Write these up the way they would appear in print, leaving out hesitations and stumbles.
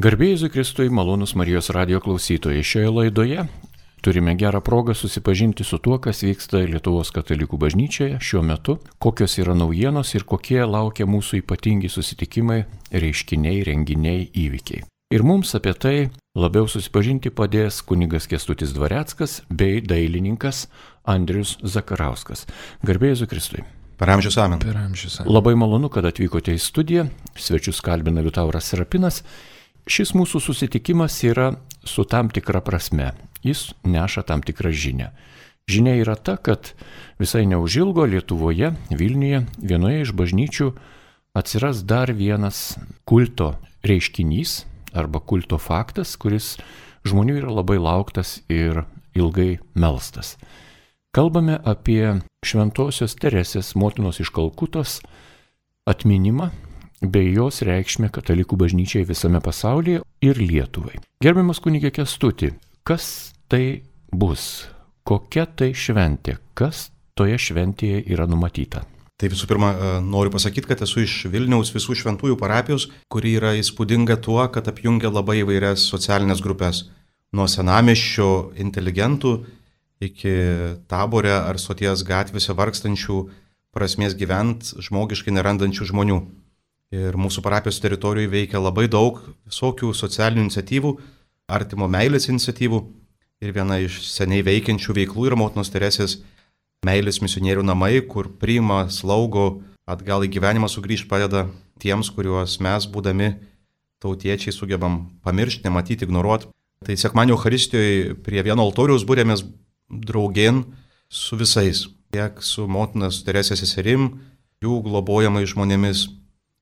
Garbė Jėzui Kristui, malonūs Marijos radijo klausytojai. Šioje laidoje turime gerą progą susipažinti su tuo, kas vyksta Lietuvos katalikų bažnyčioje šiuo metu, kokios yra naujienos ir kokie laukia mūsų ypatingi susitikimai, reiškiniai, renginiai, įvykiai. Ir mums apie tai labiau susipažinti padės kunigas Kęstutis Dvareckas bei dailininkas Andrius Zakarauskas. Garbė Jėzui Kristui. Per amžius amen. Labai malonu, kad atvykote į studiją. Svečius kalbina Liutauras Serapinas. Šis mūsų susitikimas yra su tam tikra prasme. Jis neša tam tikrą žinią. Žinia yra ta, kad visai neužilgo Lietuvoje, Vilniuje, vienoje iš bažnyčių atsiras dar vienas kulto reiškinys arba kulto faktas, kuris žmonių yra labai lauktas ir ilgai melstas. Kalbame apie Šventosios Teresės motinos iš Kalkutos atminimą bei jos reikšmę katalikų bažnyčiai visame pasaulyje ir Lietuvai. Gerbiamas kunige Kęstuti, kas tai bus? Kokia tai šventė? Kas toje šventėje yra numatyta? Tai visų pirma, noriu pasakyti, kad esu iš Vilniaus visų šventųjų parapijos, kuri yra įspūdinga tuo, kad apjungia labai įvairias socialinės grupės. Nuo senamiesčio inteligentų iki Tabore ar Stoties gatvėse vargstančių, prasmės gyvent žmogiškai nerandančių žmonių. Ir mūsų parapijos teritorijoje veikia labai daug visokių socialinių iniciatyvų, artimo meilės iniciatyvų. Ir viena iš seniai veikiančių veiklų yra Motinos Teresės meilės misionierių namai, kur priima, slaugo, atgal į gyvenimą sugrįžti padeda tiems, kuriuos mes, būdami tautiečiai, sugebam pamiršti, nematyti, ignoruoti. Tai sekmadienio Eucharistijoje prie vieno altoriaus būrėmės draugėn su visais, tiek su Motinos Teresės seserim, jų globojamai žmonėmis,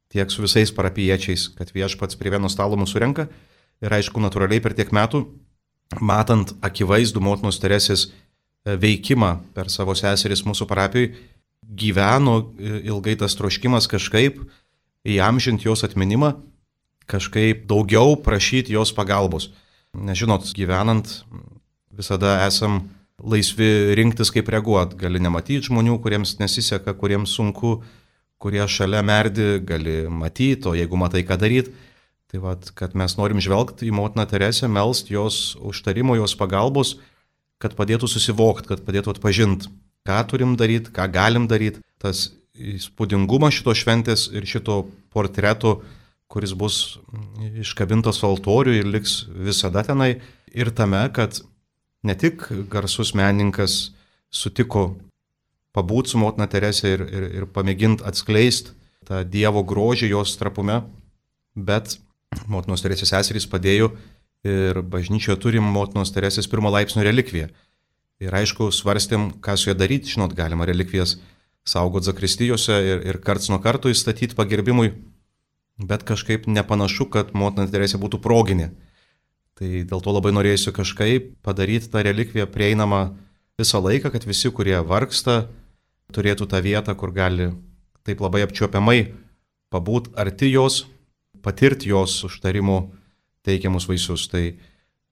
tiek su visais parapiečiais, kad Viešpats prie vieno stalo mūsų renka. Ir aišku, natūraliai per tiek metų, matant akivaizdų Motinos Teresės veikimą per savo seseris mūsų parapijoje, gyveno ilgai tas troškimas kažkaip įamžinti jos atminimą, kažkaip daugiau prašyti jos pagalbos. Nežinot, gyvenant visada esam laisvi rinktis, kaip reaguoti. Gali nematyti žmonių, kuriems nesiseka, kuriems sunku, kurie šalia merdi, gali matyti, o jeigu matai, ką daryti. Tai vat, kad mes norim žvelgti į Motiną Teresę, melst jos užtarimo, jos pagalbos, kad padėtų susivokti, kad padėtų atpažinti, ką turim daryti, ką galim daryti. Tas įspūdingumas šito šventės ir šito portreto, kuris bus iškabintas altorių ir liks visada tenai, ir tame, kad ne tik garsus menininkas sutiko pabūti su Motina Teresė ir pamėginti atskleisti tą Dievo grožį jos trapume, bet Motinos Teresės seserys padėjo ir bažnyčioje turim Motinos Teresės pirmo laipsnio relikviją. Ir aišku, svarstėm, ką su ją daryti. Žinot, galima relikvijas saugot zakristijose ir karts nuo karto įstatyti pagerbimui, bet kažkaip nepanašu, kad Motina Teresė būtų proginė. Tai dėl to labai norėjusiu kažkaip padaryti tą relikviją prieinamą visą laiką, kad visi, kurie vargsta, turėtų tą vietą, kur gali taip labai apčiuopiamai pabūt arti jos, patirti jos užtarimo teikiamus vaisius. Tai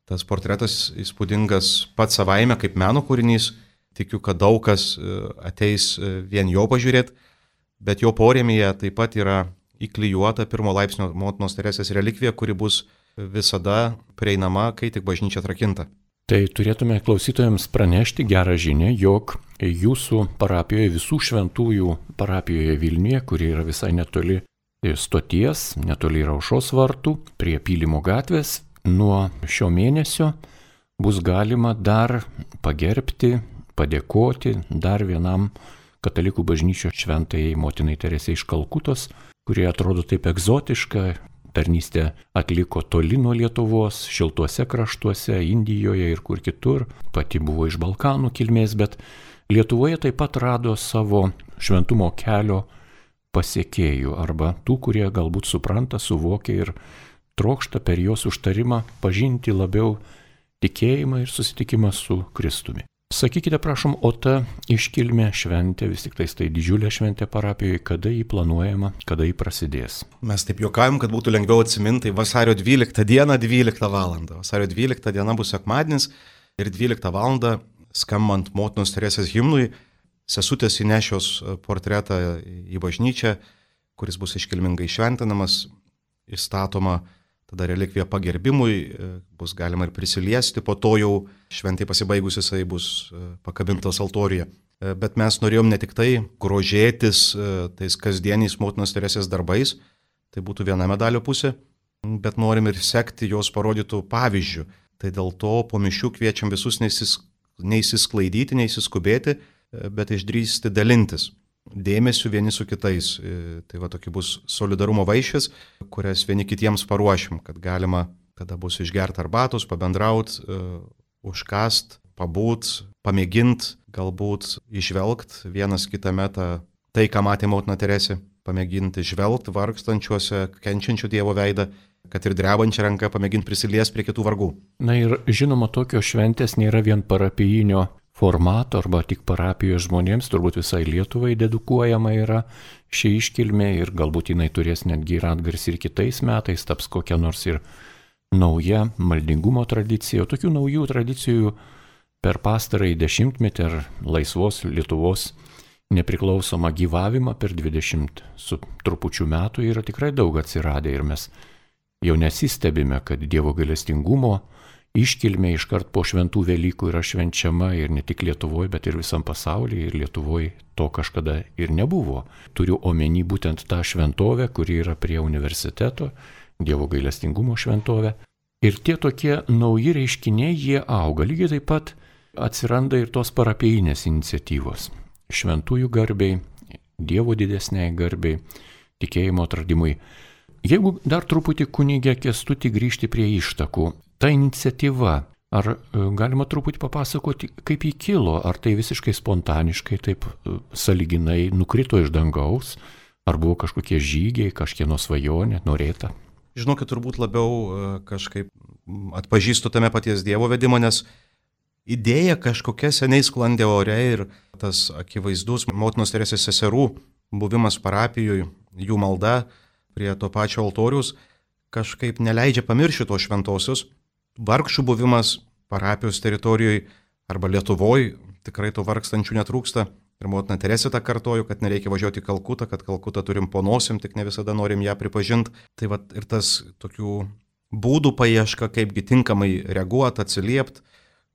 tas portretas įspūdingas pats savaime kaip meno kūrinys. Tikiu, kad daug kas ateis vien jo pažiūrėti, bet jo porėmėje taip pat yra įklijuota pirmo laipsnio Motinos Teresės relikvija, kuri bus visada prieinama, kai tik bažnyčia atrakinta. Tai turėtume klausytojams pranešti gerą žinią, jog jūsų parapijoje, visų šventųjų parapijoje Vilniuje, kuri yra visai netoli Stoties, netoli Aušros vartų, prie Pylimo gatvės, nuo šio mėnesio bus galima dar pagerbti, padėkoti dar vienam katalikų bažnyčios šventajai Motinai Teresei iš Kalkutos, kurie atrodo taip egzotiška, tarnystę atliko toli nuo Lietuvos, šiltuose kraštuose, Indijoje ir kur kitur, pati buvo iš Balkanų kilmės, bet Lietuvoje taip pat rado savo šventumo kelio pasiekėjų arba tų, kurie galbūt supranta, suvokia ir trokšta per jos užtarimą pažinti labiau tikėjimą ir susitikimą su Kristumi. Sakykite, prašom, o ta iškilmė šventė, vis tik tai didžiulė šventė parapijoje, kada jį planuojama, kada jį prasidės? Mes taip juokavim, kad būtų lengviau atsiminti, vasario 12 dieną 12 valandą. Vasario 12 diena bus sekmadienis ir 12 valandą skambant Motinos Teresės himnui, sesutės įnešios portretą į bažnyčią, kuris bus iškilmingai šventinamas, įstatoma tada relikvija pagerbimui, bus galima ir prisiliesti, po to jau šventai pasibaigus jisai bus pakabintas altoriuje. Bet mes norėjom ne tik tai grožėtis tais kasdieniais motinos Teresės darbais, tai būtų viena medalio pusė, bet norim ir sekti jos parodytų pavyzdžių. Tai dėl to po mišių kviečiam visus neįsisklaidyti, neįsiskubėti, bet išdrįsti dalintis dėmesiu vieni su kitais. Tai va tokia bus solidarumo vaišės, kurias vieni kitiems paruošim, kad galima tada bus išgerti arbatos, pabendrauti, užkast, pabūt, pamėgint, galbūt išvelgt vienas kitame tai, ką matė motina Teresė, pamėginti žvelgt vargstančiuose, kenčiančių Dievo veidą, kad ir drebančią ranką pamėginti prisiliesti prie kitų vargų. Na ir žinoma, tokios šventės nėra vien parapijinio formato arba tik parapijos žmonėms, turbūt visai Lietuvai dedukuojama yra ši iškilmė ir galbūt jinai turės netgi ir atgarsį ir kitais metais, taps kokia nors ir nauja maldingumo tradicija. O tokių naujų tradicijų per pastarąjį dešimtmetį ar laisvos Lietuvos nepriklausomą gyvavimą per 20 su trupučiu metų yra tikrai daug atsiradę ir mes jau nesistebime, kad Dievo gailestingumo iškilmė iškart po šventų Velykų yra švenčiama ir ne tik Lietuvoje, bet ir visam pasaulyje, ir Lietuvoje to kažkada ir nebuvo. Turiu omeny būtent tą šventovę, kuri yra prie universiteto, Dievo gailestingumo šventovė. Ir tie tokie nauji reiškiniai, jie auga. Lygiai taip pat atsiranda ir tos parapijinės iniciatyvos. Šventųjų garbiai, Dievo didesniai garbiai, tikėjimo atradimui. Jeigu dar truputį kunigė Kęstutį grįžti prie ištakų, ta iniciatyva, ar galima truputį papasakoti, kaip ji kilo, ar tai visiškai spontaniškai, taip sąlyginai nukrito iš dangaus, ar buvo kažkokie žygiai, kažkieno svajonė, norėta? Žinokit, turbūt labiau kažkaip atpažįstu tame paties Dievo vedimo, nes idėja kažkokia seniai sklandė ore ir tas akivaizdus motinos Teresės seserų buvimas parapijoje, jų malda prie to pačio altoriaus kažkaip neleidžia pamiršti tos šventosios. Vargšų buvimas parapijos teritorijoje arba Lietuvoje tikrai to vargstančių netrūksta. Ir motina Teresė tą kartojo, kad nereikia važiuoti į Kalkutą, kad Kalkutą turim po nosim, tik ne visada norim ją pripažinti. Tai va ir tas tokių būdų paieška, kaipgi tinkamai reaguoti, atsiliepti,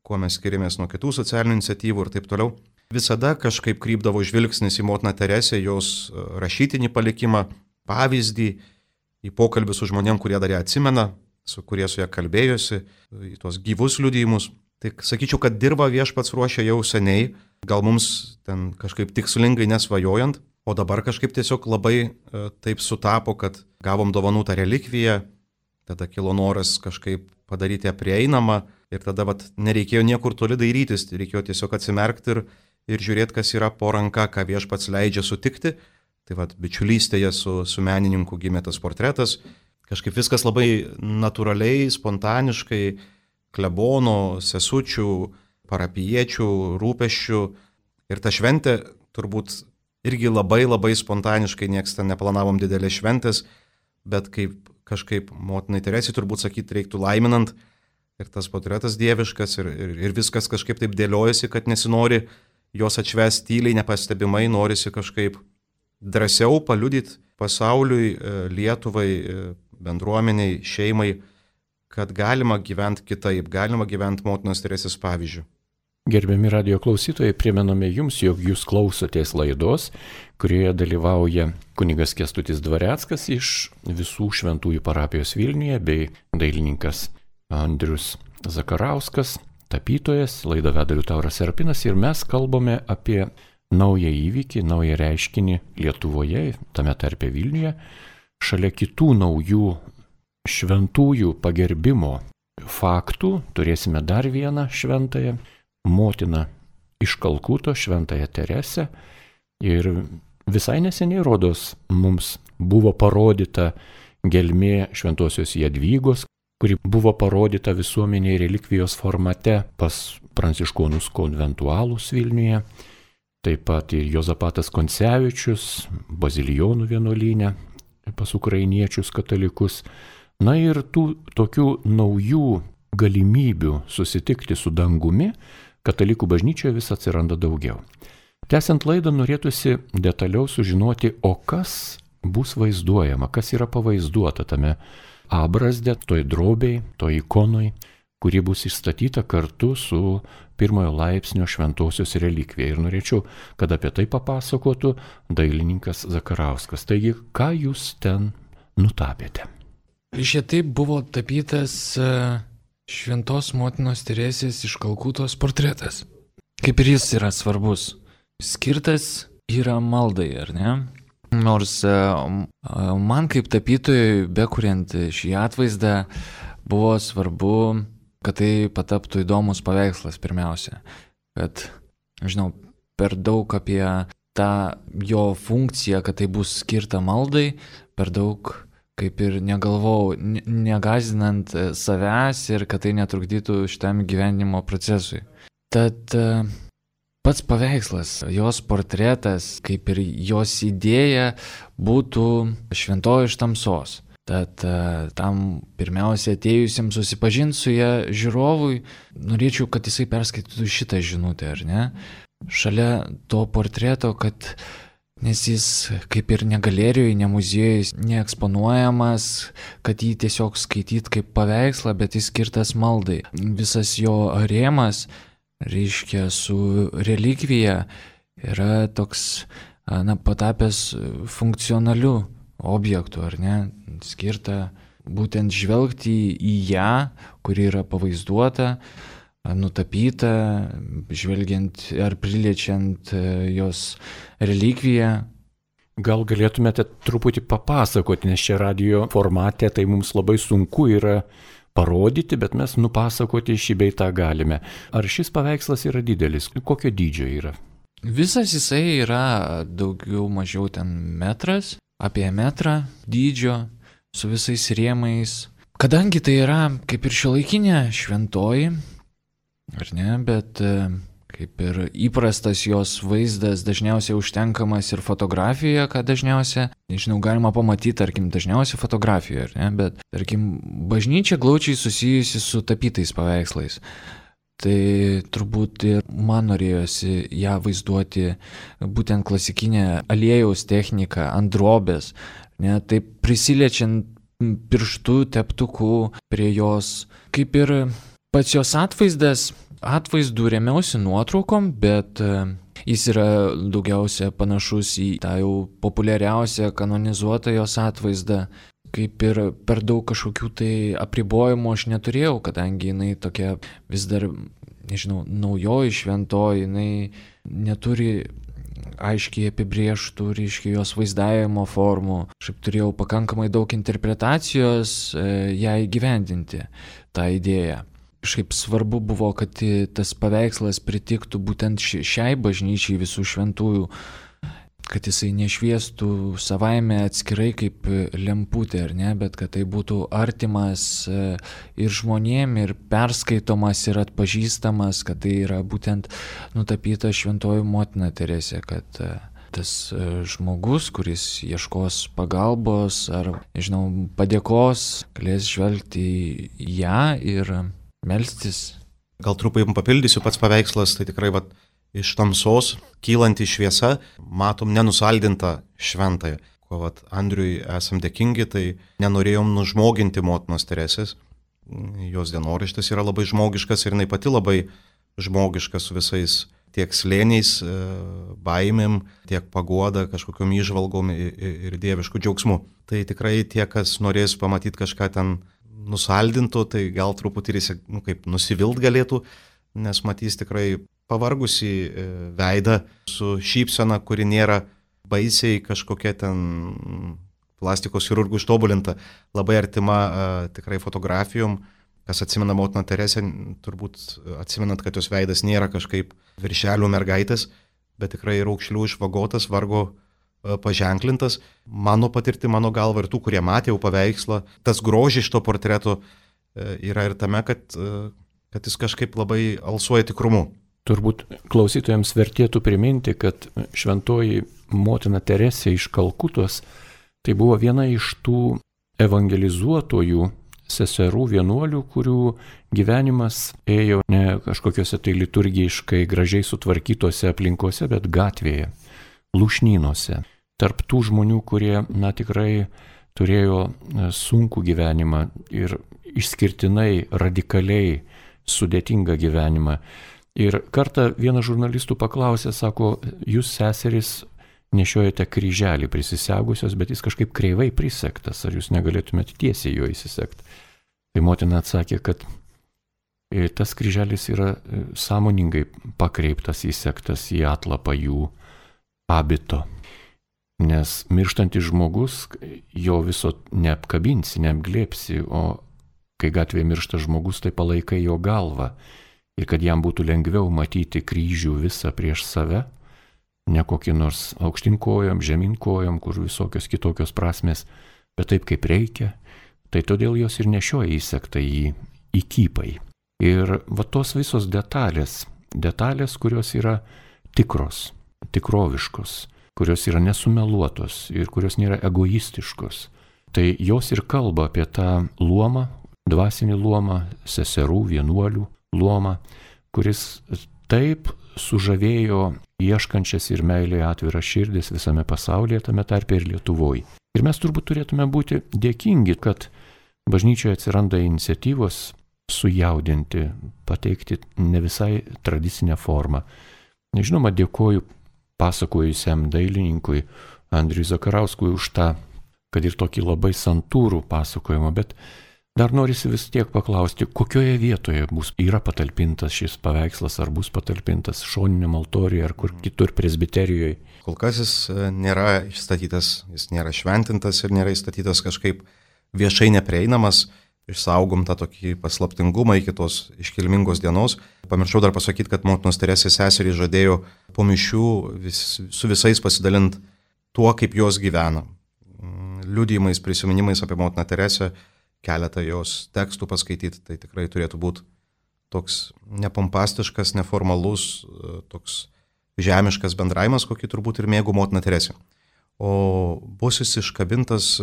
kuo mes skiriamės nuo kitų socialinių iniciatyvų ir taip toliau. Visada kažkaip krypdavo žvilgsnis į motiną Teresę, jos rašytinį palikimą, pavyzdį, į pokalbį su žmonėm, kurie dar ją atsimena, kurie su ją kalbėjosi, į tuos gyvus liudijimus. Tai sakyčiau, kad dirba Viešpats ruošia jau seniai, gal mums ten kažkaip tikslingai nesvajojant, o dabar kažkaip tiesiog labai taip sutapo, kad gavom dovanų tą relikviją, tada kilo noras kažkaip padaryti ją prieinamą ir tada nereikėjo niekur toli dairytis, reikėjo tiesiog atsimerkti ir žiūrėti, kas yra po ranka, ką Viešpats leidžia sutikti. Tai bičiulystėje su menininku gimė tas portretas. Kažkaip viskas labai natūraliai, spontaniškai, klebono, sesučių, parapijiečių, rūpesčių. Ir ta šventė turbūt irgi labai labai spontaniškai, nieks ten neplanavom didelės šventės, bet kaip kažkaip motinai Teresei turbūt sakyti reiktų laiminant. Ir tas portretas dieviškas ir viskas kažkaip taip dėliojasi, kad nesinori jos atšvęsti tyliai, nepastebimai, norisi kažkaip drąsiau paliudyti pasauliui, Lietuvai, bendruomeniai, šeimai, kad galima gyventi kitaip, galima gyventi motinos Teresės pavyzdžiu. Gerbiami radijo klausytojai, primename jums, jog jūs klausotės laidos, kurioje dalyvauja kunigas Kęstutis Dvareckas iš Visų šventųjų parapijos Vilniuje bei dailininkas Andrius Zakarauskas, tapytojas, laidą veda Liutauras Serpinas ir mes kalbame apie naują įvykį, naują reiškinį Lietuvoje, tame tarpe Vilniuje, šalia kitų naujų šventųjų pagerbimo faktų turėsime dar vieną šventąją motiną iš Kalkuto, šventąją Teresę. Ir visai neseniai rodos mums buvo parodyta gelmė šventosios Jadvygos, kuri buvo parodyta visuomeniai relikvijos formate pas pranciškonus konventualus Vilniuje. Taip pat ir Jozapatas Koncevičius, Bazilijonų vienuolyne, pas ukrainiečius katalikus. Na ir tų tokių naujų galimybių susitikti su dangumi katalikų bažnyčioje vis atsiranda daugiau. Tęsiant laidą norėtųsi detaliau sužinoti, o kas bus vaizduojama, kas yra pavaizduota tame abrazdę, toj drobėj, toj ikonoj, kuri bus įstatyta kartu su pirmojo laipsnio šventosios relikvija. Ir norėčiau, kad apie tai papasakotų dailininkas Zakarauskas. Taigi, ką jūs ten nutapėte? Šitai buvo tapytas Šventos motinos Teresės iš Kalkutos portretas. Kaip ir jis yra svarbus. Skirtas yra maldai, ar ne? Nors man kaip tapytojui, bekuriant šį atvaizdą, buvo svarbu, kad tai pataptų įdomus paveikslas pirmiausia. Kad, žinau, per daug apie tą jo funkciją, kad tai bus skirta maldai, per daug kaip ir negalvojau, negazdinant savęs ir kad tai netrukdytų šitam gyvenimo procesui. Tad pats paveikslas, jos portretas, kaip ir jos idėja, būtų šventoji iš tamsos. Tad tam pirmiausia atėjusiems susipažinti su ją žiūrovui, norėčiau, kad jisai perskaitytų šitą žinutę, ar ne? Šalia to portreto, kad nes jis kaip ir ne galerijoje, ne muziejuje, neeksponuojamas, kad jį tiesiog skaityt kaip paveikslą, bet jis skirtas maldai. Visas jo rėmas, reiškia, su relikvija yra toks, patapęs funkcionaliu objektu, ar ne, skirta būtent žvelgti į ją, kuri yra pavaizduota, nutapyta, žvelgiant ar priliečiant jos relikviją. Gal galėtumėte truputį papasakoti, nes čia radio formate tai mums labai sunku yra parodyti, bet mes nupasakoti šį bei tą galime. Ar šis paveikslas yra didelis? Kokio dydžio yra? Visas jisai yra daugiau mažiau ten metras, apie metrą dydžio, su visais rėmais. Kadangi tai yra kaip ir šiuolaikinė šventoji, ar ne, bet kaip ir įprastas jos vaizdas dažniausiai užtenkamas ir fotografijoje, ką dažniausiai, nežinau, galima pamatyti, tarkim, dažniausiai fotografijoje, ar ne, bet, tarkim, bažnyčia glaučiai susijusi su tapytais paveikslais. Tai turbūt ir man norėjosi ją vaizduoti būtent klasikinę aliejaus techniką ant drobės, ne, taip prisiliečiant pirštų teptuku prie jos, kaip ir pats jos atvaizdas. Atvaizdų remiausi nuotraukom, bet jis yra daugiausia panašus į tą jau populiariausią kanonizuotą jos atvaizdą. Kaip ir per daug kažkokių tai apribojimų aš neturėjau, kadangi jinai tokia vis dar, nežinau, naujoji šventoji, jinai neturi aiškiai apibrėžtų, reiškia, jos vaizdavimo formų. Aš turėjau pakankamai daug interpretacijos ją įgyvendinti, tą idėją. Kažkaip svarbu buvo, kad tas paveikslas pritiktų būtent šiai bažnyčiai visų šventųjų, kad jisai nešviestų savaime atskirai kaip lemputė, ar ne, bet kad tai būtų artimas ir žmonėm, ir perskaitomas, ir atpažįstamas, kad tai yra būtent nutapyta šventoji motina Teresė, kad tas žmogus, kuris ieškos pagalbos ar, nežinau, padėkos, galės žvelgti į ją ir melstis. Gal truputį papildysiu, pats paveikslas, tai tikrai iš tamsos kylanti šviesa, matom nenusaldintą šventąją. Ko Andriui esam dėkingi, tai nenorėjom nužmoginti motinos Teresės. Jos dienoraštis yra labai žmogiškas ir jinai pati labai žmogiška su visais tiek slėniais, baimėm, tiek paguoda, kažkokiom įžvalgom ir dieviškų džiaugsmų. Tai tikrai tie, kas norės pamatyti kažką ten nusaldintų, tai gal truputį kaip nusivilt galėtų, nes matys tikrai pavargusi veidą su šypsena, kuri nėra baisiai kažkokia ten plastikos chirurgų ištobulinta, labai artima tikrai fotografijom. Kas atsimena motiną Teresę, turbūt atsimenat, kad jos veidas nėra kažkaip viršelių mergaitės, bet tikrai raukšlių išvagotas, vargo paženklintas. Mano patirti, mano galva ir tų, kurie matė jau paveikslą, tas grožis šito portreto yra ir tame, kad jis kažkaip labai alsuoja tikrumu. Turbūt klausytojams vertėtų priminti, kad šventoji motina Teresė iš Kalkutos tai buvo viena iš tų evangelizuotojų seserų vienuolių, kurių gyvenimas ėjo ne kažkokiuose tai liturgiškai gražiai sutvarkytose aplinkose, bet gatvėje, lūšnynuose. Tarp tų žmonių, kurie, tikrai turėjo sunkų gyvenimą ir išskirtinai, radikaliai sudėtingą gyvenimą. Ir kartą vienas žurnalistų paklausė, sako, jūs seserys nešiojate kryželį prisisegusios, bet jis kažkaip kreivai prisegtas, ar jūs negalėtumėte tiesiai jo įsisegti. Tai motina atsakė, kad tas kryželis yra sąmoningai pakreiptas, įsegtas į atlapą jų abito. Nes mirštantis žmogus, jo viso neapkabinsi, neapglėpsi, o kai gatvėje miršta žmogus, tai palaikai jo galvą. Ir kad jam būtų lengviau matyti kryžių visą prieš save, ne kokį nors aukštinkojom, žeminkojom, kur visokios kitokios prasmės, bet taip kaip reikia, tai todėl jos ir nešioja įsegtą į kypai. Ir va tos visos detalės, kurios yra tikros, tikroviškos, kurios yra nesumeluotos ir kurios nėra egoistiškos, tai jos ir kalba apie tą luomą, dvasinį luomą, seserų, vienuolių luomą, kuris taip sužavėjo ieškančias ir meilėje atviras širdis visame pasaulyje, tame tarpe ir Lietuvoje. Ir mes turbūt turėtume būti dėkingi, kad bažnyčioje atsiranda iniciatyvos sujaudinti, pateikti ne visai tradicinę formą. Žinoma, dėkoju pasakojusiam dailininkui Andriui Zakarauskui už tą, kad ir tokį labai santūrų pasakojimą, bet dar norisi vis tiek paklausti, kokioje vietoje yra patalpintas šis paveikslas, ar bus patalpintas šoniniam altoriuje, ar kur kitur presbiterijoje. Kol kas jis nėra išstatytas, jis nėra šventintas ir nėra išstatytas kažkaip viešai neprieinamas. Išsaugom tą tokį paslaptingumą iki tos iškilmingos dienos. Pamiršau dar pasakyti, kad motinos Teresės seserys žadėjo po mišių su visais pasidalinti tuo, kaip jos gyvena. Liudijimais, prisiminimais apie motiną Teresę, keletą jos tekstų paskaityti, tai tikrai turėtų būti toks nepompastiškas, neformalus, toks žemiškas bendravimas, kokį turbūt ir mėgo motina Teresė. O bus jis iškabintas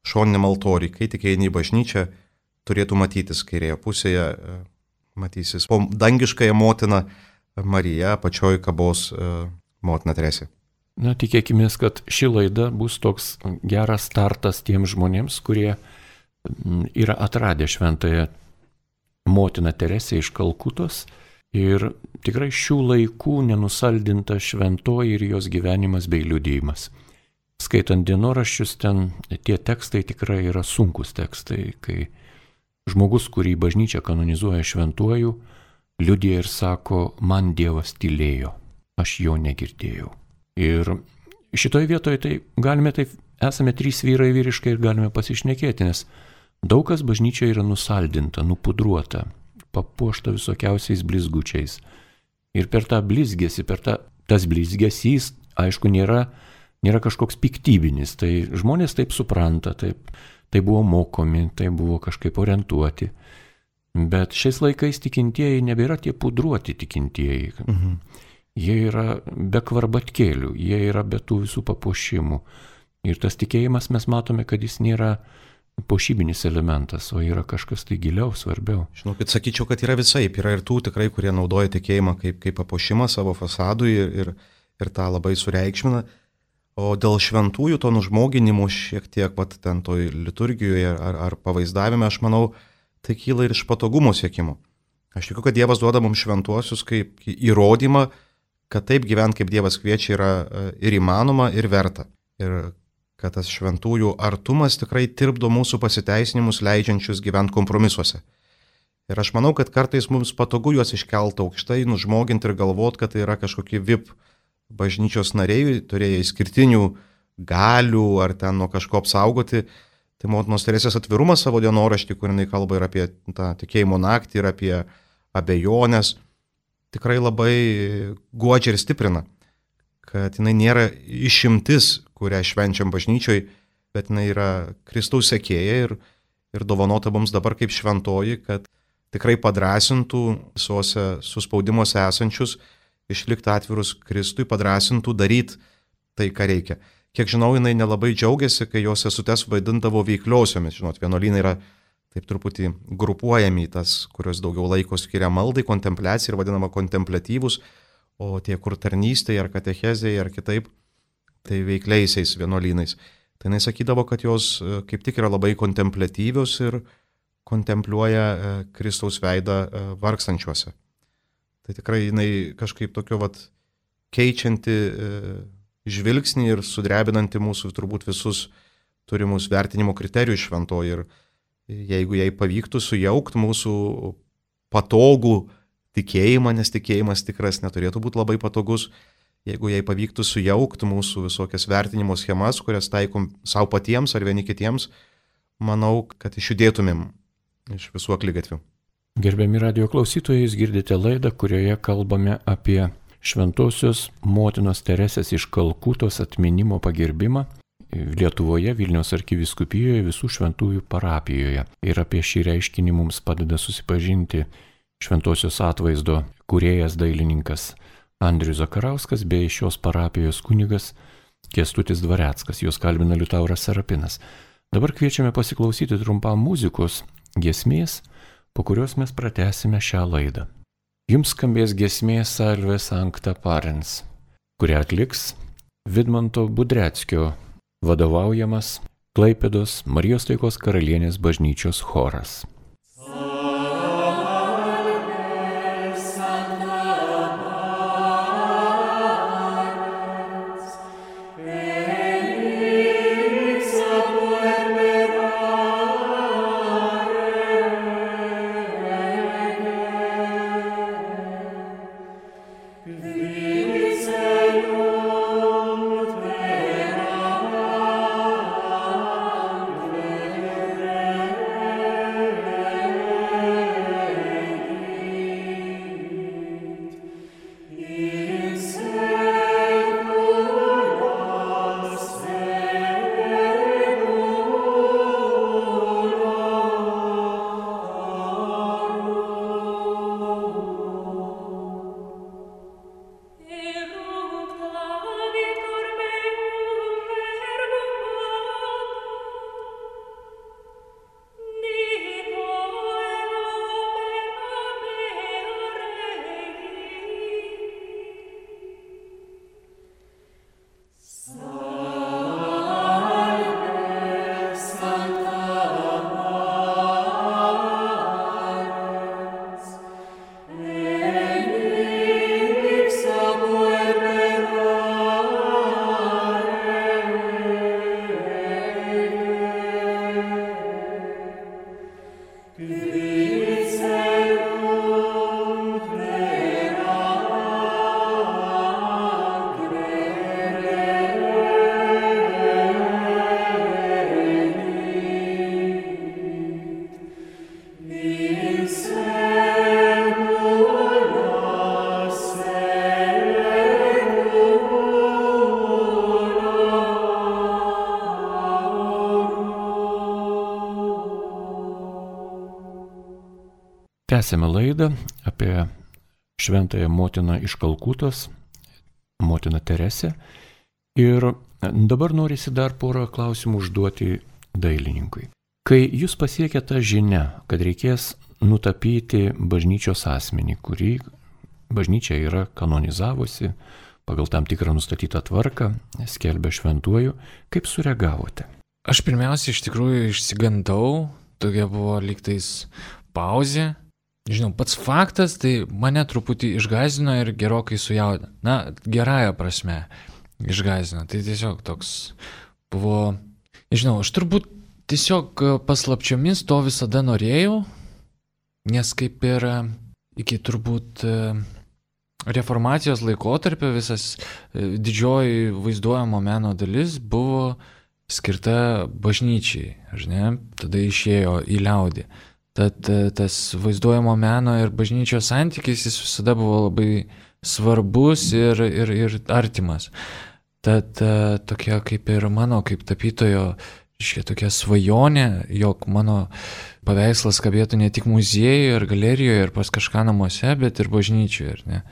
šoniniam altoriui, kai tik eini į bažnyčią, turėtų matytis kairėje pusėje, matysis po dangiškąją motiną Mariją, pačioj kabos motina Teresė. Na, tikėkime, kad ši laida bus toks geras startas tiems žmonėms, kurie yra atradę šventąją motiną Teresę iš Kalkutos ir tikrai šių laikų nenusaldinta šventoji ir jos gyvenimas bei liudijimas. Skaitant dienoraščius, ten tie tekstai tikrai yra sunkus tekstai, kai žmogus, kurį bažnyčia kanonizuoja šventuoju, liudija ir sako, man Dievas tylėjo, aš jo negirdėjau. Ir šitoje vietoje tai galime taip, esame trys vyrai vyriškai ir galime pasišnekėti, nes daug kas bažnyčioje yra nusaldinta, nupudruota, papuošta visokiausiais blizgučiais. Ir per tą blizgesį, tas blizgesys, aišku, nėra kažkoks piktybinis, tai žmonės taip supranta, tai buvo mokomi, tai buvo kažkaip orientuoti. Bet šiais laikais tikintieji nebėra tie pudruoti tikintieji. Jie yra be kvarbatkėlių, jie yra be tų visų papuošimų. Ir tas tikėjimas mes matome, kad jis nėra puošybinis elementas, o yra kažkas tai giliau, svarbiau. Žinokit, sakyčiau, kad yra visaip. Yra ir tų tikrai, kurie naudoja tikėjimą kaip papuošimą savo fasadui ir tą labai sureikšmina. O dėl šventųjų to nužmoginimo šiek tiek pat ten toj liturgijoje ar pavaizdavime, aš manau, tai kyla ir iš patogumo siekimo. Aš tikiu, kad Dievas duoda mums šventuosius kaip įrodymą, kad taip gyventi, kaip Dievas kviečia, yra ir įmanoma, ir verta. Ir kad tas šventųjų artumas tikrai tirpdo mūsų pasiteisinimus, leidžiančius gyventi kompromisuose. Ir aš manau, kad kartais mums patogu juos iškelti aukštai, nužmoginti ir galvoti, kad tai yra kažkokie VIP bažnyčios nariai, turėję išskirtinių galių ar ten nuo kažko apsaugoti. Tai motinos Teresės atvirumas savo dienoraštį, kur jinai kalba ir apie tą tikėjimo naktį, ir apie abejonės, tikrai labai guodžia ir stiprina. Kad jinai nėra išimtis, kurią švenčiam bažnyčioj, bet jinai yra Kristaus sekėja ir dovanota mums dabar kaip šventoji, kad tikrai padrasintų visuose suspaudimuose esančius, išlikti atvirus Kristui, padrasintų daryti tai, ką reikia. Kiek žinau, jinai nelabai džiaugiasi, kai jos sesutes vaidindavo veikliosiomis. Žinot, vienuolynai yra taip truputį grupuojami į tas, kurios daugiau laiko skiria maldai, kontempliacijai ir vadinama kontempliatyvus, o tie, kur tarnystėje ar katechezėje ar kitaip, tai veikliaisiais vienuolynais. tai jinai sakydavo, kad jos kaip tik yra labai kontempliatyvios ir kontempliuoja Kristaus veidą vargstančiuose. Tai tikrai jinai kažkaip tokio keičianti žvilgsnį ir sudrebinanti mūsų turbūt visus turimus vertinimo kriterijus šventoji. Ir jeigu jai pavyktų sujaukti mūsų patogų tikėjimą, nes tikėjimas tikras neturėtų būti labai patogus, jeigu jai pavyktų sujaukti mūsų visokias vertinimo schemas, kurias taikom savo patiems ar vieni kitiems, manau, kad išjudėtumėm iš visų akligatvių. Gerbiami radio klausytojai, jūs girdite laidą, kurioje kalbame apie Šventosios motinos Teresės iš Kalkutos atminimo pagerbimą Lietuvoje, Vilniaus arkivyskupijoje, visų šventųjų parapijoje. Ir apie šį reiškinį mums padeda susipažinti Šventosios atvaizdo kūrėjas dailininkas Andrius Zakarauskas bei šios parapijos kunigas Kęstutis Dvareckas. Juos kalbina Liutauras Serapinas. Dabar kviečiame pasiklausyti trumpam muzikos giesmės, po kurios mes pratęsime šią laidą. Jums skambės giesmė Salve Sancta Parens, kurią atliks Vidmanto Budreckio vadovaujamas Klaipėdos Marijos Taikos Karalienės bažnyčios choras. Tęsėme laidą apie Šventąją motiną iš Kalkutos, motiną Teresę. Ir dabar norisi dar porą klausimų užduoti dailininkui. Kai jūs pasiekė tą žinią, kad reikės nutapyti bažnyčios asmenį, kurį bažnyčia yra kanonizavusi pagal tam tikrą nustatytą tvarką, skelbia šventuoju, kaip sureagavote? Aš pirmiausia iš tikrųjų išsigandau, tokia buvo lygtais pauzė. Žinau, pats faktas tai mane truputį išgąsdino ir gerokai sujaudino. Na, gerąja prasme išgąsdino. Tai tiesiog toks buvo, nežinau, aš turbūt tiesiog paslapčiomis to visada norėjau, nes kaip ir iki turbūt reformacijos laikotarpio visas didžioji vaizduojamo meno dalis buvo skirta bažnyčiai, žinai, tada išėjo į liaudį. Tad tas vaizduojamo meno ir bažnyčios santykis jis visada buvo labai svarbus ir artimas. Tad tokia kaip ir mano, kaip tapytojo, tokia svajonė, jog mano paveikslas kabėtų ne tik muziejuje ir galerijoje ir pas kažką namuose, bet ir bažnyčioje. Ir ne.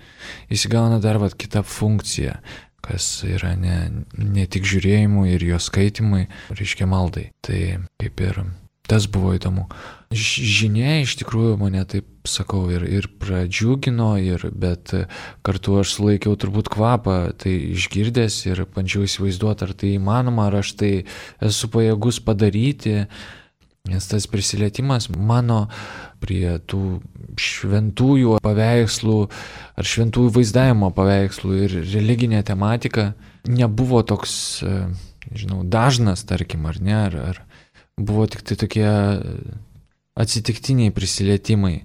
Jis įgauna dar kitą funkciją, kas yra ne tik žiūrėjimui ir jo skaitimui, reiškia maldai. Tai kaip ir Tas buvo įdomu. Žinia iš tikrųjų mane, taip sakau, ir pradžiugino, bet kartu aš sulaikiau turbūt kvapą, tai išgirdęs ir bandžiau įsivaizduoti, ar tai įmanoma, ar aš tai esu pajėgus padaryti, nes tas prisilietimas mano prie tų šventųjų paveikslų ar šventųjų vaizdavimo paveikslų ir religinė tematika nebuvo toks, nežinau, dažnas, tarkim, ar ne, ar buvo tik tai tokie atsitiktiniai prisilietimai,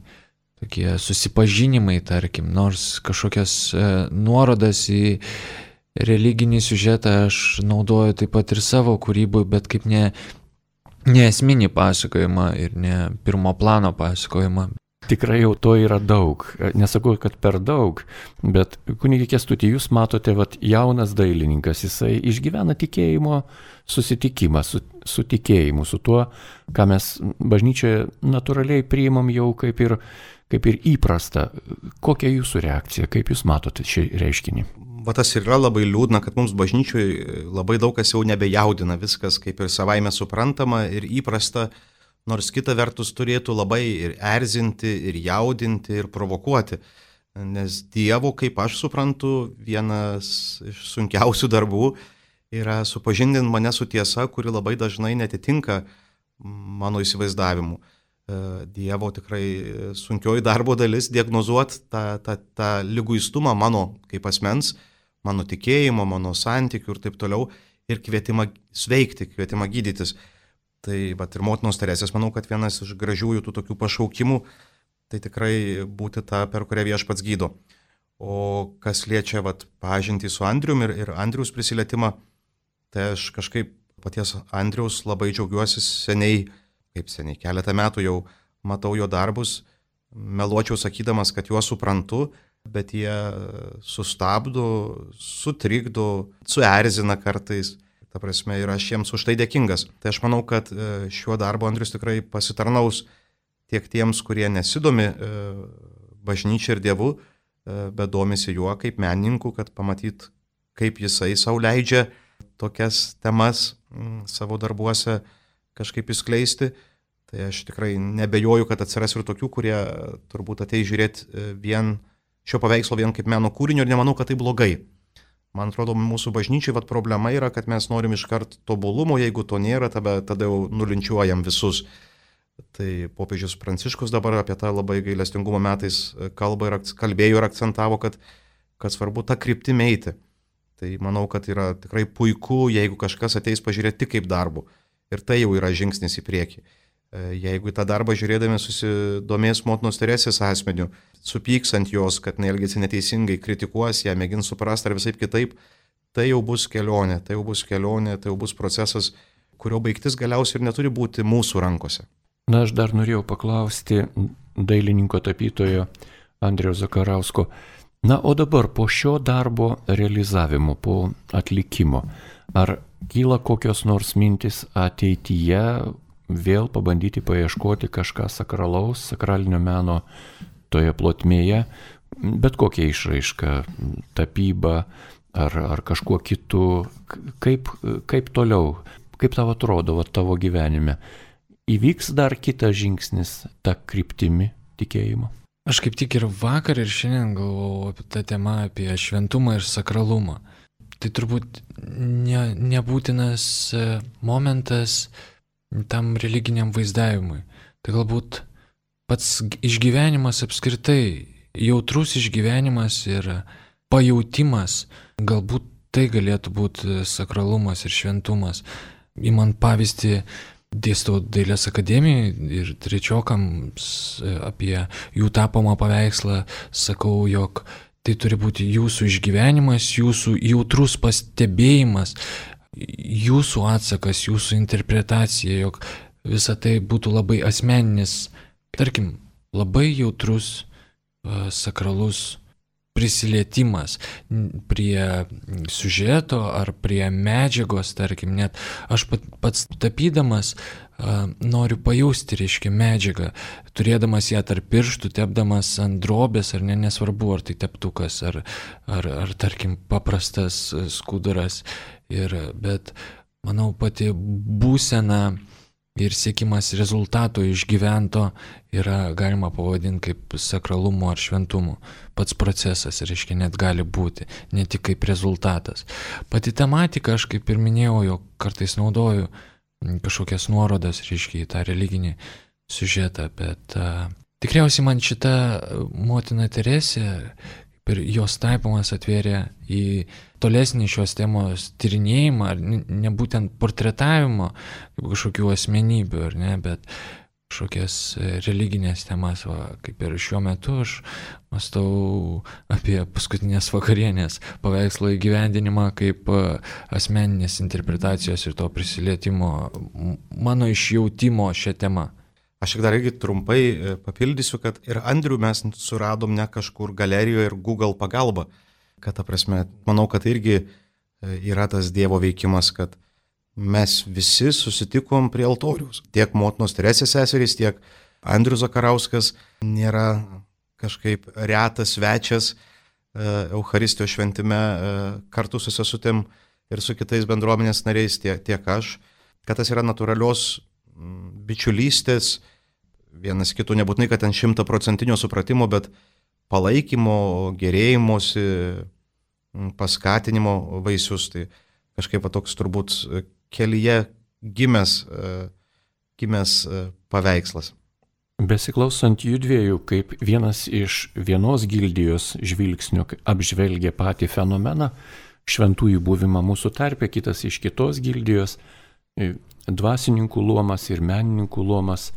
tokie susipažinimai, tarkim, nors kažkokias nuorodas į religinį siužetą aš naudoju taip pat ir savo kūrybui, bet kaip ne esminį pasakojimą ir ne pirmo plano pasakojimą. Tikrai jau to yra daug. Nesakau, kad per daug, bet kunigi Kęstuti, jūs matote, jaunas dailininkas, jisai išgyvena tikėjimo susitikimą su tikėjimu, su tuo, ką mes bažnyčioje natūraliai priimam jau kaip ir įprasta. Kokia jūsų reakcija, kaip jūs matote šį reiškinį? Tas ir yra labai liūdna, kad mums bažnyčioje labai daug kas jau nebejaudina, viskas kaip ir savaime suprantama ir įprasta, nors kita vertus turėtų labai ir erzinti, ir jaudinti, ir provokuoti. Nes Dievo, kaip aš suprantu, vienas iš sunkiausių darbų yra supažindinti mane su tiesa, kuri labai dažnai netitinka mano įsivaizdavimu. Dievo tikrai sunkioji darbo dalis diagnozuoti tą liguistumą mano kaip asmens, mano tikėjimo, mano santykių ir taip toliau, ir kvietimą sveikti, kvietimą gydytis. Tai ir motinos Teresės, manau, kad vienas iš gražiųjų tų tokių pašaukimų, tai tikrai būti ta, per kurią Viešpats gydo. O kas liečia pažintį su Andrium ir Andriaus prisilietimą, tai aš kažkaip paties Andriaus labai džiaugiuosi seniai, keletą metų jau matau jo darbus, meluočiau sakydamas, kad juos suprantu, bet jie sustabdo, sutrikdo, suerzina kartais. Ta prasme, ir aš jiems už tai dėkingas. Tai aš manau, kad šiuo darbu Andrius tikrai pasitarnaus tiek tiems, kurie nesidomi bažnyčia ir Dievu, bet domisi juo kaip menininku, kad pamatyt, kaip jisai sau leidžia tokias temas savo darbuose kažkaip įskleisti. Tai aš tikrai nebejoju, kad atsiras ir tokių, kurie turbūt ateis žiūrėti šio paveikslo vien kaip meno kūrinio ir nemanau, kad tai blogai. Man atrodo, mūsų bažnyčiai problema yra, kad mes norim iškart tobulumo, jeigu to nėra, tada jau nulinčiuojam visus. Tai popiežius Pranciškus dabar apie tą labai gailestingumo metais kalbėjo ir akcentavo, kad svarbu tą kryptimį eiti. Tai manau, kad yra tikrai puiku, jeigu kažkas ateis pažiūrėti tik kaip darbu. Ir tai jau yra žingsnis į priekį. Jeigu į tą darbą žiūrėdami susidomės motinos Teresės asmeniu, supyks ant jos, kad neelgiasi neteisingai, kritikuos ją, mėgins suprasti ar visai kitaip, tai jau bus kelionė, tai jau bus procesas, kurio baigtis galiausiai ir neturi būti mūsų rankose. Na, aš dar norėjau paklausti dailininko tapytojo Andriaus Zakarausko. Na, o dabar po šio darbo realizavimo, po atlikimo, ar kyla kokios nors mintis ateityje vėl pabandyti paieškoti kažką sakralaus, sakralinio meno toje plotmėje, bet kokia išraiška, tapyba ar kažkuo kitu, kaip toliau, kaip tau atrodo tavo gyvenime, įvyks dar kitas žingsnis tą kryptimi tikėjimo? Aš kaip tik ir vakar ir šiandien galvojau apie tą temą, apie šventumą ir sakralumą. Tai turbūt nebūtinas momentas tam religiniam vaizdavimui. Tai galbūt pats išgyvenimas apskritai, jautrus išgyvenimas ir pajautimas, galbūt tai galėtų būti sakralumas ir šventumas. Įmant pavyzdį, dėstau Dailės akademijoje ir trečiokams apie jų tapomą paveikslą, sakau, jog tai turi būti jūsų išgyvenimas, jūsų jautrus pastebėjimas, jūsų atsakas, jūsų interpretacija, jog visa tai būtų labai asmeninis, tarkim, labai jautrus, sakralus prisilietimas prie siužeto ar prie medžiagos, tarkim, net aš pats tapydamas noriu pajausti, reiškia, medžiagą, turėdamas ją tarp pirštų, tepdamas ant drobės, ar nesvarbu, ar tai teptukas, ar tarkim, paprastas skuduras. Bet manau, pati būsena ir siekimas rezultato išgyvento yra galima pavadinti kaip sakralumu ar šventumu. Pats procesas, reiškia, net gali būti, ne tik kaip rezultatas. Pati tematika, aš kaip ir minėjau, jog kartais naudoju kažkokias nuorodas, reiškia, į tą religinį siužetą, bet tikriausiai man šita motina Teresė ir jos taipomas atvėrė į tolesnį šios temos tyrinėjimą, ar ne būtent portretavimo kažkokių asmenybių, ar ne, bet kažkokias religinės temas, kaip ir šiuo metu aš mąstau apie paskutinės vakarienės paveikslo įgyvendinimą kaip asmeninės interpretacijos ir to prisilietimo, mano išjautimo šią temą. Aš tik dar irgi trumpai papildysiu, kad ir Andrių mes suradom ne kažkur galerijoje ir Google pagalba, kad ta prasme, manau, kad irgi yra tas Dievo veikimas, kad mes visi susitikom prie altoriaus. Tiek motinos Teresės seserys, tiek Andrius Zakarauskas nėra kažkaip retas svečias Eucharistijos šventime kartu su sesutėm ir su kitais bendruomenės nariais, tiek aš, kad tas yra natūralios bičiulystės, vienas kitų nebūtinai, kad ten 100% supratimo, bet palaikymo, gerėjimosi, paskatinimo vaisius. Tai kažkaip toks turbūt kelyje gimęs paveikslas. Besiklausant jų dviejų, kaip vienas iš vienos gildijos žvilgsnių apžvelgia patį fenomeną, šventųjų buvimą mūsų tarpe, kitas iš kitos gildijos, dvasininkų luomas ir menininkų luomas.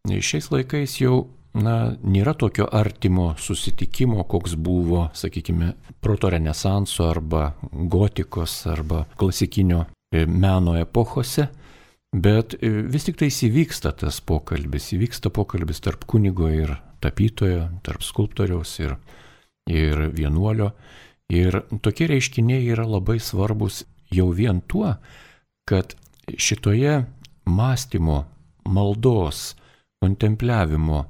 Šiais laikais jau nėra tokio artimo susitikimo, koks buvo, sakykime, protorenesanso arba gotikos arba klasikinio meno epochose, bet vis tik tai įvyksta tas pokalbis, tarp kunigo ir tapytojo, tarp skulptoriaus ir vienuolio. Ir tokie reiškiniai yra labai svarbus jau vien tuo, kad šitoje mąstymo, maldos, kontempliavimo,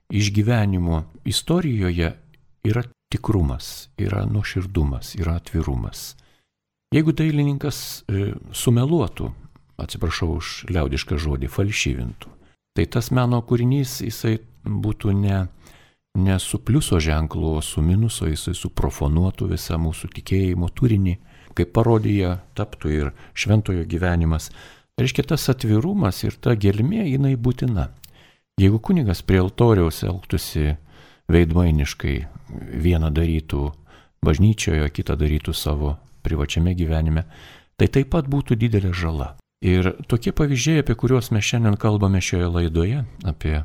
išgyvenimo istorijoje yra tikrumas, yra nuoširdumas, yra atvirumas. Jeigu dailininkas sumeluotų, atsiprašau už liaudišką žodį, falšyvintų, tai tas meno kūrinys jisai būtų ne su pliuso ženklu, o su minuso, jisai suprofanuotų visą mūsų tikėjimo turinį, kaip parodija taptų ir šventojo gyvenimas. Reiškia, tas atvirumas ir ta gelmė, jinai būtina. Jeigu kunigas prie altoriaus elgtųsi veidmainiškai, vieną darytų bažnyčioje, kitą darytų savo privačiame gyvenime, tai taip pat būtų didelė žala. Ir tokie pavyzdžiai, apie kuriuos mes šiandien kalbame šioje laidoje, apie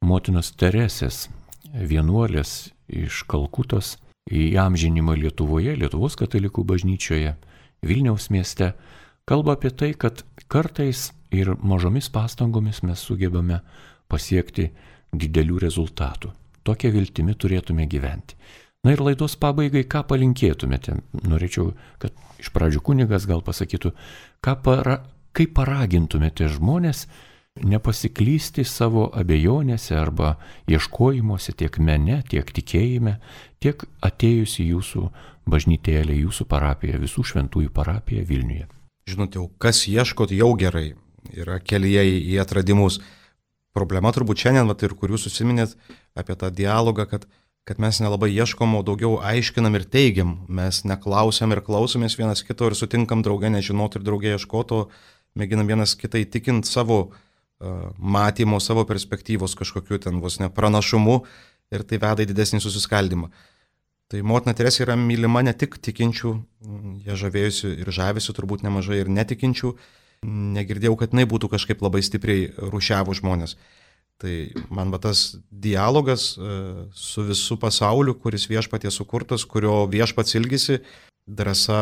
motinos Teresės, vienuolės iš Kalkutos, įamžinimą Lietuvoje, Lietuvos katalikų bažnyčioje, Vilniaus mieste, kalba apie tai, kad kartais ir mažomis pastangomis mes sugebame pasiekti didelių rezultatų. Tokia viltimi turėtume gyventi. Na ir laidos pabaigai, ką palinkėtumėte? Norėčiau, kad iš pradžių kunigas gal pasakytų, kaip paragintumėte žmonės nepasiklysti savo abejonėse arba ieškojimuose tiek mene, tiek tikėjime, tiek atėjus į jūsų bažnytėlę, jūsų parapiją, visų šventųjų parapiją Vilniuje. Žinote, kas ieškot jau gerai, yra kelyje į atradimus. Problema turbūt šiandien, ir kur jūs susiminėt apie tą dialogą, kad mes nelabai ieškom, o daugiau aiškinam ir teigiam. Mes neklausiam ir klausomės vienas kito ir sutinkam draugę nežinot ir draugę ieškoti, o mėginam vienas kitą įtikinti savo matymo, savo perspektyvos kažkokiu ten vos ne pranašumu ir tai veda į didesnį susiskaldimą. Tai motina Teresė yra mylima ne tik tikinčių, jie žavėjusi ir žavėsi turbūt nemažai ir netikinčių. Negirdėjau, kad jinai būtų kažkaip labai stipriai rūšiavų žmonės. Tai man tas dialogas su visų pasauliu, kuris viešpatie sukurtas, kurio viešpats ilgisi, drąsa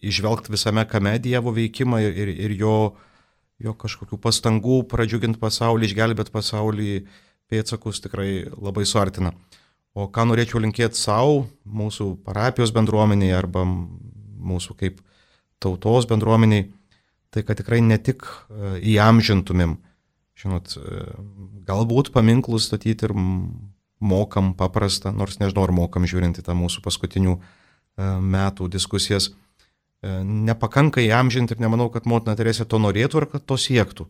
išvelgti visame kame Dievo veikimą ir jo kažkokių pastangų pradžiuginti pasaulį, išgelbėti pasaulį pėdsakus tikrai labai suartina. O ką norėčiau linkėti savo, mūsų parapijos bendruomeniai arba mūsų kaip tautos bendruomeniai, tai kad tikrai ne tik įamžintumėm, žinot, galbūt paminklus statyti ir mokam paprastą, nors nežinau, ar mokam žiūrint į tą mūsų paskutinių metų diskusijas. Nepakanka įamžinti ir nemanau, kad motina Teresė to norėtų ar kad to siektų.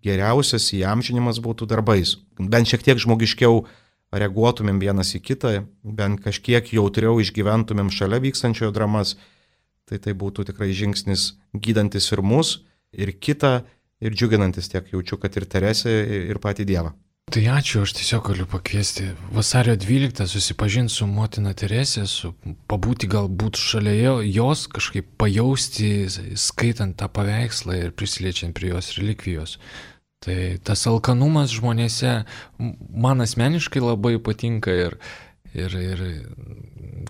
geriausias įamžinimas būtų darbais. Bent šiek tiek žmogiškiau reaguotumėm vienas į kitą, bent kažkiek jautriau išgyventumėm šalia vykstančiojo dramas, tai būtų tikrai žingsnis gydantis ir mus, ir kitą, ir džiuginantis tiek jaučiu, kad ir Teresę, ir patį Dievą. Tai ačiū, aš tiesiog galiu pakviesti vasario 12 susipažinti su motina Teresė, pabūti galbūt šalia jos, kažkaip pajausti, skaitant tą paveikslą ir prisiliečiant prie jos relikvijos. Tai tas alkanumas žmonėse man asmeniškai labai patinka ir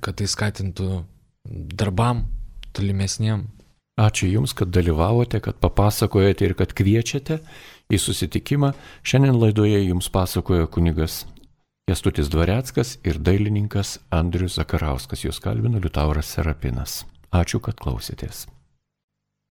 kad tai skatintų darbam tolimesniem. Ačiū Jums, kad dalyvavote, kad papasakojate ir kad kviečiate į susitikimą. Šiandien laidoje Jums pasakojo kunigas Kęstutis Dvareckas ir dailininkas Andrius Zakarauskas. Jūs kalbino Liutauras Serapinas. Ačiū, kad klausėtės.